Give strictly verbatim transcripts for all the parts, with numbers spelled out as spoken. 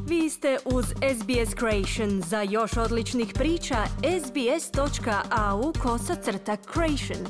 Vi ste uz S B S Creation. Za još odličnih priča, sbs.au kosacrta creation.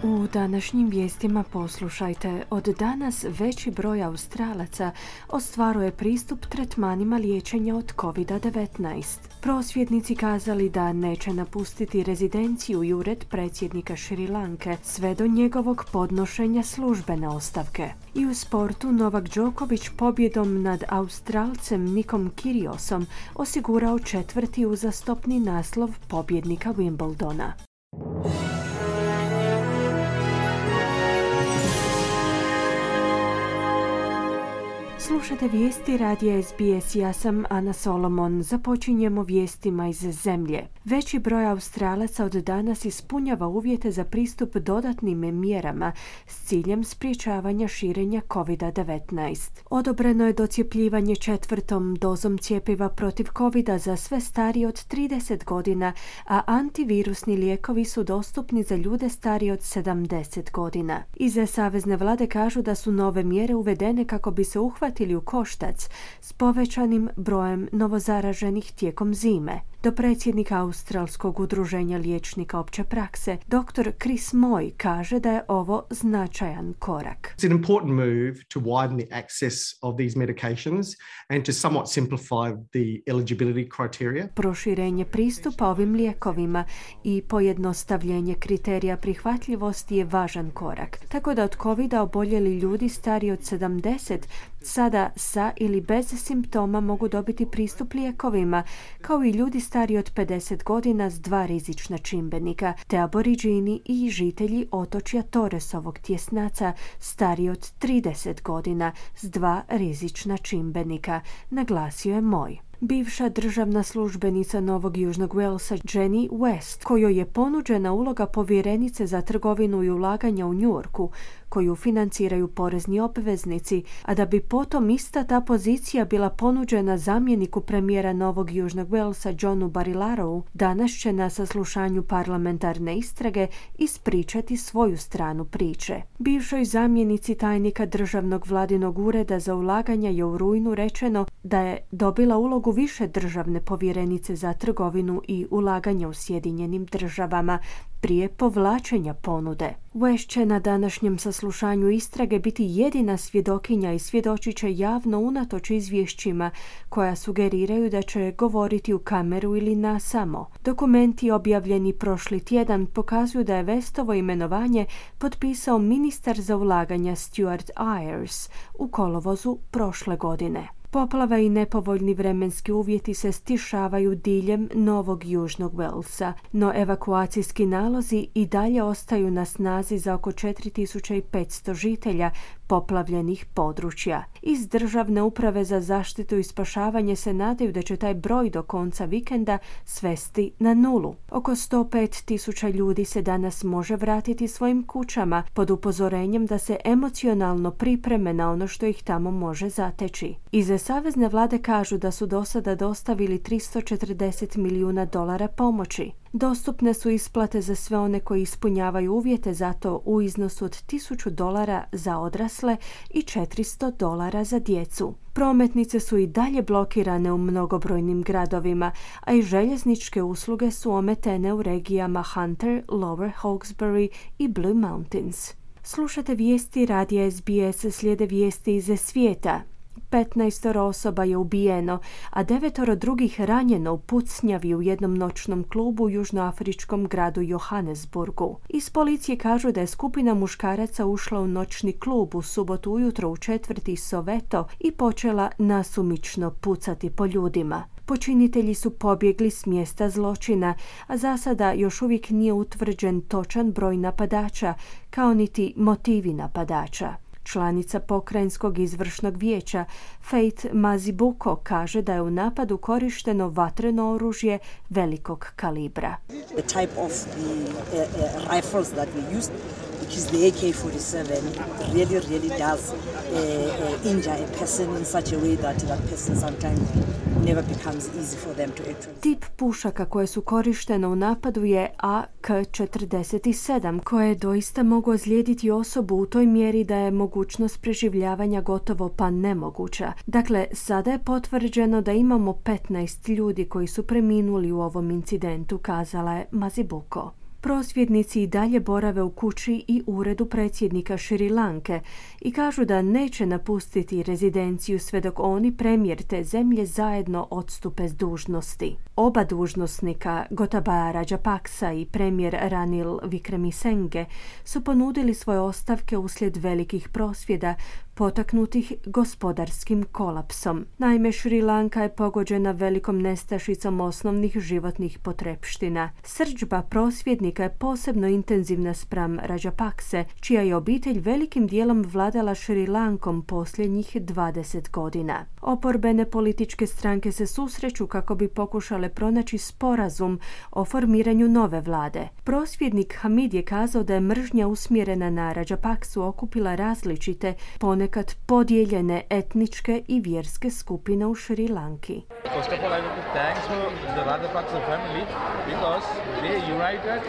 U današnjim vijestima poslušajte, od danas veći broj Australaca ostvaruje pristup tretmanima liječenja od covid devetnaest. Prosvjednici kazali da neće napustiti rezidenciju i ured predsjednika Šri Lanke sve do njegovog podnošenja službene ostavke. I u sportu Novak Đoković pobjedom nad Australcem Nikom Kyriosom osigurao četvrti uzastopni naslov pobjednika Wimbledona. Slušajte vijesti radija S B S, ja sam Ana Solomon. Započinjemo vijestima iz zemlje. Veći broj Australaca od danas ispunjava uvjete za pristup dodatnim mjerama s ciljem spriječavanja širenja covid devetnaest. Odobreno je docjepljivanje četvrtom dozom cjepiva protiv covida za sve starije od trideset godina, a antivirusni lijekovi su dostupni za ljude starije od sedamdeset godina. Iz savezne vlade kažu da su nove mjere uvedene kako bi se uhvatili u koštac s povećanim brojem novozaraženih tijekom zime. Do predsjednika Australskog udruženja liječnika opće prakse, doktor Chris Moy, kaže da je ovo značajan korak. It's an important move to widen the access of these medications and to somewhat simplify the eligibility criteria. Proširenje pristupa ovim lijekovima i pojednostavljenje kriterija prihvatljivosti je važan korak. Tako da od covida oboljeli ljudi stariji od sedamdeset sada sa ili bez simptoma mogu dobiti pristup lijekovima, kao i ljudi stariji od pedeset godina s dva rizična čimbenika, te aboriđini i žitelji otočja Torresovog tjesnaca stariji od trideset godina s dva rizična čimbenika, naglasio je Moj. Bivša državna službenica Novog Južnog Walesa Jenny West, kojoj je ponuđena uloga povjerenice za trgovinu i ulaganja u Njujorku, koju financiraju porezni obveznici, a da bi potom ista ta pozicija bila ponuđena zamjeniku premijera Novog Južnog Walesa Johnu Barilarovu, danas će na saslušanju parlamentarne istrage ispričati svoju stranu priče. Bivšoj zamjenici tajnika državnog vladinog ureda za ulaganja je u rujnu rečeno da je dobila ulogu više državne povjerenice za trgovinu i ulaganja u Sjedinjenim državama prije povlačenja ponude. West će na današnjem saslušanju istrage biti jedina svjedokinja i svjedočit će javno unatoč izvješćima koja sugeriraju da će govoriti u kameru ili nasamo. Dokumenti objavljeni prošli tjedan pokazuju da je Westovo imenovanje potpisao ministar za ulaganja Stuart Ayres u kolovozu prošle godine. Poplava i nepovoljni vremenski uvjeti se stišavaju diljem Novog Južnog Walesa, no evakuacijski nalozi i dalje ostaju na snazi za oko četiri tisuće petsto žitelja poplavljenih područja. Iz Državne uprave za zaštitu i spašavanje se nadaju da će taj broj do konca vikenda svesti na nulu. Oko sto pet tisuća ljudi se danas može vratiti svojim kućama pod upozorenjem da se emocionalno pripreme na ono što ih tamo može zateći. Iz savezne vlade kažu da su do sada dostavili tristo četrdeset milijuna dolara pomoći. Dostupne su isplate za sve one koji ispunjavaju uvjete za to u iznosu od tisuću dolara za odrasle i četiristo dolara za djecu. Prometnice su i dalje blokirane u mnogobrojnim gradovima, a i željezničke usluge su ometene u regijama Hunter, Lower Hawkesbury i Blue Mountains. Slušate vijesti radija S B S, slijede vijesti iz svijeta. petnaestoro osoba je ubijeno, a devetoro drugih ranjeno u pucnjavi u jednom noćnom klubu u južnoafričkom gradu Johannesburgu. Iz policije kažu da je skupina muškaraca ušla u noćni klub u subotu ujutro u četvrti Soweto i počela nasumično pucati po ljudima. Počinitelji su pobjegli s mjesta zločina, a za sada još uvijek nije utvrđen točan broj napadača, kao niti motivi napadača. Članica pokrajinskog izvršnog vijeća Faith Mazibuko kaže da je u napadu korišteno vatreno oružje velikog kalibra. The type of the uh, uh, rifles that we used, which is the A K forty-seven, really, really does uh, uh, injure a person in such a way that that person sometimes never becomes easy for them to actually... Tip pušaka koje su korištene u napadu je A K četrdeset sedam, koje doista mogu ozlijediti osobu u toj mjeri da je mogućnost preživljavanja gotovo pa nemoguća. Dakle, sada je potvrđeno da imamo petnaest ljudi koji su preminuli u ovom incidentu, kazala je Mazibuko. Prosvjednici i dalje borave u kući i uredu predsjednika Šri Lanke i kažu da neće napustiti rezidenciju sve dok oni, premijer te zemlje, zajedno odstupe s dužnosti. Oba dužnosnika, Gotabaya Rajapaksa i premijer Ranil Wickremesinghe, su ponudili svoje ostavke uslijed velikih prosvjeda potaknutih gospodarskim kolapsom. Naime, Šri Lanka je pogođena velikom nestašicom osnovnih životnih potrepština. Srdžba prosvjednika je posebno intenzivna spram Rajapakse, čija je obitelj velikim dijelom vladala Šri Lankom posljednjih dvadeset godina. Oporbene političke stranke se susreću kako bi pokušale pronaći sporazum o formiranju nove vlade. Prosvjednik Hamid je kazao da je mržnja usmjerena na Rajapaksu okupila različite, ponekad podijeljene etničke i vjerske skupine u Šri Lanki. First of all, I want to thank the Rajapaksa family because they united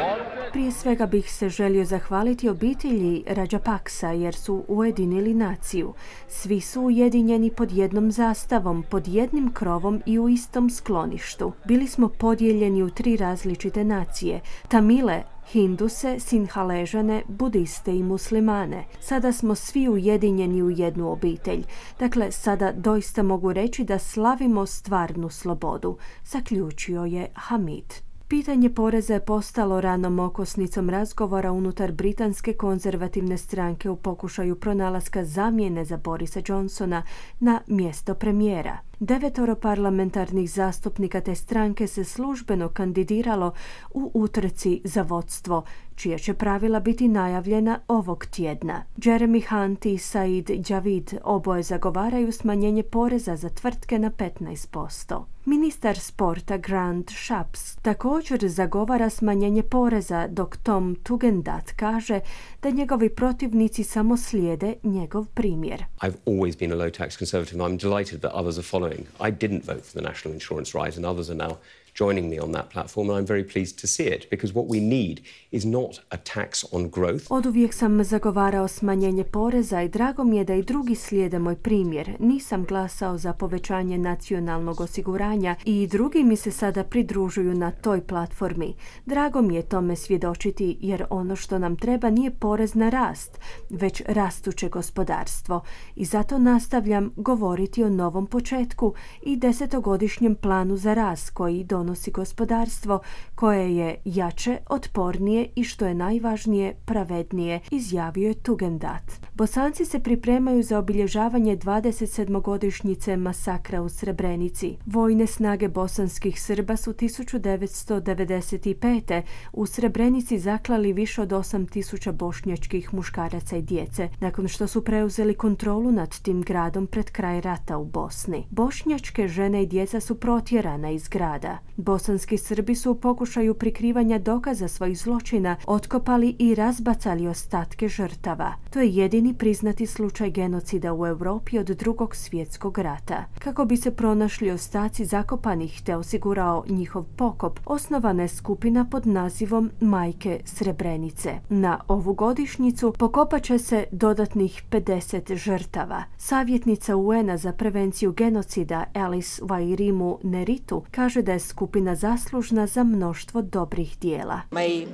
all the... Prije svega bih se želio zahvaliti obitelji Rajapaksa jer su ujedinili naciju. Svi su ujedinjeni pod jednom zastavom, pod jednim krovom i u istom skloništu. Bili smo podijeljeni u tri različite nacije: Tamile, Hinduse, Sinhaležane, Budiste i Muslimane. Sada smo svi ujedinjeni u jednu obitelj. Dakle, sada doista mogu reći da slavimo stvarnu slobodu, zaključio je Hamid. Pitanje poreza je postalo ranom okosnicom razgovora unutar britanske konzervativne stranke u pokušaju pronalaska zamjene za Borisa Johnsona na mjesto premijera. Devetoro parlamentarnih zastupnika te stranke se službeno kandidiralo u utrci za vodstvo, čija će pravila biti najavljena ovog tjedna. Jeremy Hunt i Said Javid oboje zagovaraju smanjenje poreza za tvrtke na petnaest posto. Ministar sporta Grant Shapps također zagovara smanjenje poreza, dok Tom Tugendhat kaže da njegovi protivnici samo slijede njegov primjer. I've always been a low tax conservative. I'm delighted that others are following. I didn't vote for the national insurance rise and others are now joining me on that platform, and I'm very pleased to see it, because what we need is not a tax on growth. Oduvijek sam zagovarao smanjenje poreza i drago mi je da i drugi slijede moj primjer. Nisam glasao za povećanje nacionalnog osiguranja i drugi mi se sada pridružuju na toj platformi. Drago mi je tome svjedočiti, jer ono što nam treba nije porez na rast, već rastuće gospodarstvo. I zato nastavljam govoriti o novom početku i desetogodišnjem planu za rast koji donosi donosi gospodarstvo koje je jače, otpornije i, što je najvažnije, pravednije, izjavio je Tugendhat. Bosanci se pripremaju za obilježavanje dvadesetsedmogodišnjice masakra u Srebrenici. Vojne snage bosanskih Srba su tisuću devetsto devedeset pete. u Srebrenici zaklali više od osam tisuća bošnjačkih muškaraca i djece, nakon što su preuzeli kontrolu nad tim gradom pred kraj rata u Bosni. Bošnjačke žene i djeca su protjerana iz grada. Bosanski Srbi su u pokušaju prikrivanja dokaza svojih zločina otkopali i razbacali ostatke žrtava. To je jedini priznati slučaj genocida u Europi od Drugog svjetskog rata. Kako bi se pronašli ostaci zakopanih te osigurao njihov pokop, osnovana je skupina pod nazivom Majke Srebrenice. Na ovu godišnjicu pokopat će se dodatnih pedeset žrtava. Savjetnica U N A za prevenciju genocida Alice Wairimu Neritu kaže da je skupina zaslužna za mnoštvo dobrih dijela. My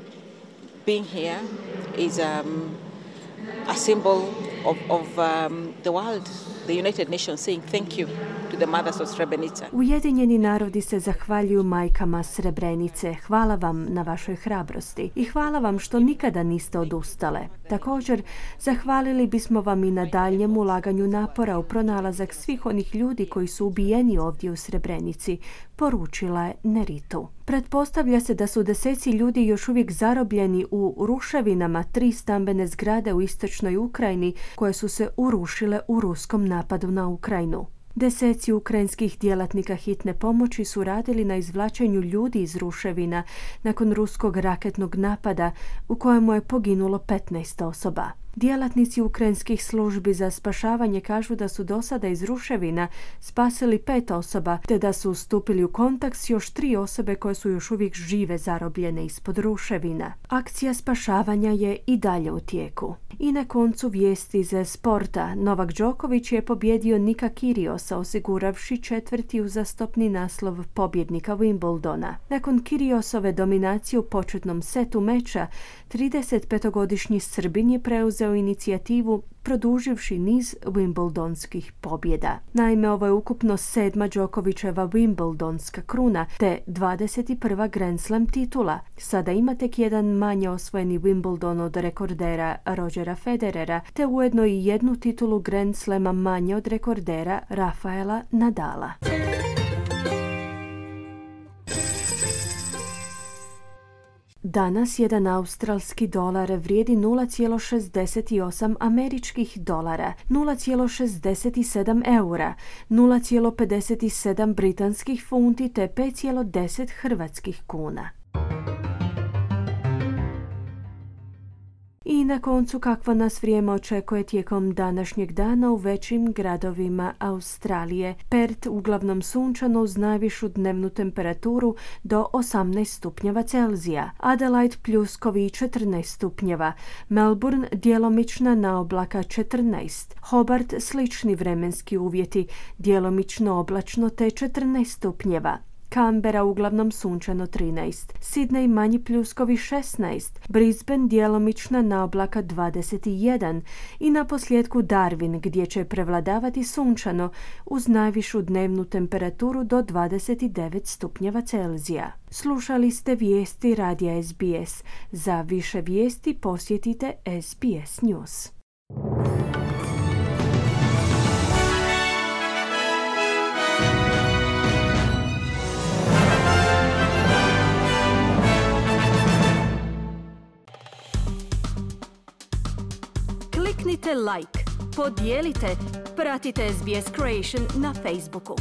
being here is um, a symbol of, of um, the world, the United Nations saying thank you to the mothers of Srebrenica. Ujedinjeni narodi se zahvaljuju majkama Srebrenice. Hvala vam na vašoj hrabrosti i hvala vam što nikada niste odustale. Također, zahvalili bismo vam i na daljnjem ulaganju napora u pronalazak svih onih ljudi koji su ubijeni ovdje u Srebrenici, poručila je Neritu. Pretpostavlja se da su deseci ljudi još uvijek zarobljeni u ruševinama tri stambene zgrade u istočnoj Ukrajini koje su se urušile u ruskom napadu na Ukrajinu. Deseci ukrajinskih djelatnika hitne pomoći su radili na izvlačenju ljudi iz ruševina nakon ruskog raketnog napada u kojemu je poginulo petnaest osoba. Djelatnici ukrajinskih službi za spašavanje kažu da su do sada iz ruševina spasili pet osoba, te da su stupili u kontakt s još tri osobe koje su još uvijek žive zarobljene ispod ruševina. Akcija spašavanja je i dalje u tijeku. I na koncu vijesti iz sporta. Novak Đoković je pobjedio Nika Kyrgiosa, osiguravši četvrti uzastopni naslov pobjednika Wimbledona. Nakon Kyrgiosove dominacije u početnom setu meča, tridesetpetogodišnji Srbin je preuzeo inicijativu, produživši niz Wimbledonskih pobjeda. Naime, ovo je ukupno sedma Đokovićeva Wimbledonska kruna, te dvadeset prva Grand Slam titula. Sada ima tek jedan manje osvojeni Wimbledon od rekordera Rogera Federera, te ujedno i jednu titulu Grand Slama manje od rekordera Rafaela Nadala. Danas jedan australski dolar vrijedi nula zarez šezdeset osam američkih dolara, nula zarez šezdeset sedam eura, nula zarez pedeset sedam britanskih funti te pet zarez deset hrvatskih kuna. I na koncu kakvo nas vrijeme očekuje tijekom današnjeg dana u većim gradovima Australije. Perth uglavnom sunčano uz najvišu dnevnu temperaturu do osamnaest stupnjeva Celzija. Adelaide pljuskovi četrnaest stupnjeva. Melbourne djelomična naoblaka četrnaest. Hobart slični vremenski uvjeti, djelomično oblačno te četrnaest stupnjeva. Canberra uglavnom sunčano trinaest, Sydney manji pljuskovi šesnaest, Brisbane djelomična naoblaka dvadeset jedan i na posljedku Darwin gdje će prevladavati sunčano uz najvišu dnevnu temperaturu do dvadeset devet stupnjeva Celzija. Slušali ste vijesti radija S B S. Za više vijesti posjetite S B S News. Kliknite like, podijelite, pratite S B S Creation na Facebooku.